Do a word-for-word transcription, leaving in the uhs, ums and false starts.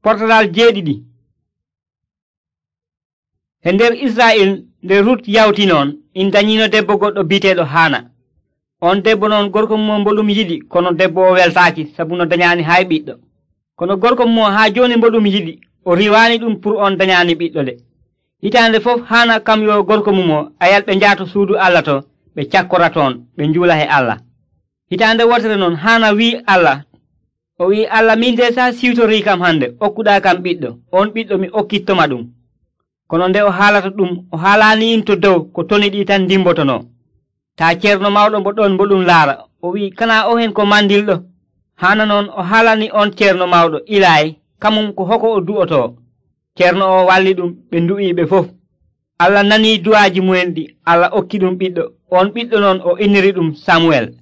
Portalal jeeɗiɗi. E nder Israa'il nde Rut yawti noon in dañino debbo goɗɗo bi'eteeɗo Haana. On debbo noon gorko mum mboɗum yiɗi, kono debbo o weltaaki sabu no dañaani hay ɓiɗɗo. Kono gorko mum haa jooni mboɗum yiɗi, o riwaani ɗum pour on dañaani ɓiɗɗo de. Hitaande fof Haana kam yo gorko mum o ayal ɓe njaato suudu Allah to ɓe cakkora toon ɓe njuula he Allah. Hitaande wotere noon Haana wi'i Allah, o wi'i Allah, min de sa siwtorii kam hande okkuɗaa kam ɓiɗɗo, on ɓiɗɗo mi okkittoma ɗum. Kono nde o haalata ɗum o haalaani in to dow ko toni ɗi tan dimbotono. Taa ceerno mawɗo mbo ɗon mboɗum laara, o wi'i kana o hen ko mandilɗo. Haana noon o haalani on ceerno mawɗo Ilaayi kamum ko hoko o du'oto. Ceerno o walli ɗum ɓe ndu'ii ɓe fof. Allah nanii du'aaji mumen ɗi, Allah okki ɗum ɓiɗɗo. On ɓiɗɗo noon o inniri ɗum Samuel.